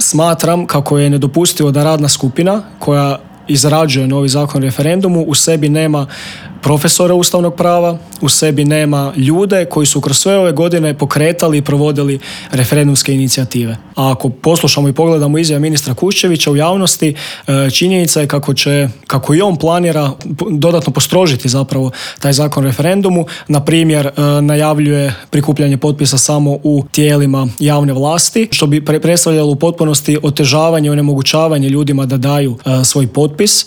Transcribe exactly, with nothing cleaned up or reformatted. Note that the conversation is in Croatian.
smatram kako je nedopustivo da radna skupina koja izrađuje novi zakon o referendumu u sebi nema profesora ustavnog prava, u sebi nema ljude koji su kroz sve ove godine pokretali i provodili referendumske inicijative. A ako poslušamo i pogledamo izjave ministra Kuščevića u javnosti, činjenica je kako će, kako i on planira dodatno postrožiti zapravo taj zakon o referendumu. Na primjer, najavljuje prikupljanje potpisa samo u tijelima javne vlasti, što bi predstavljalo u potpunosti otežavanje i onemogućavanje ljudima da daju svoj potpis.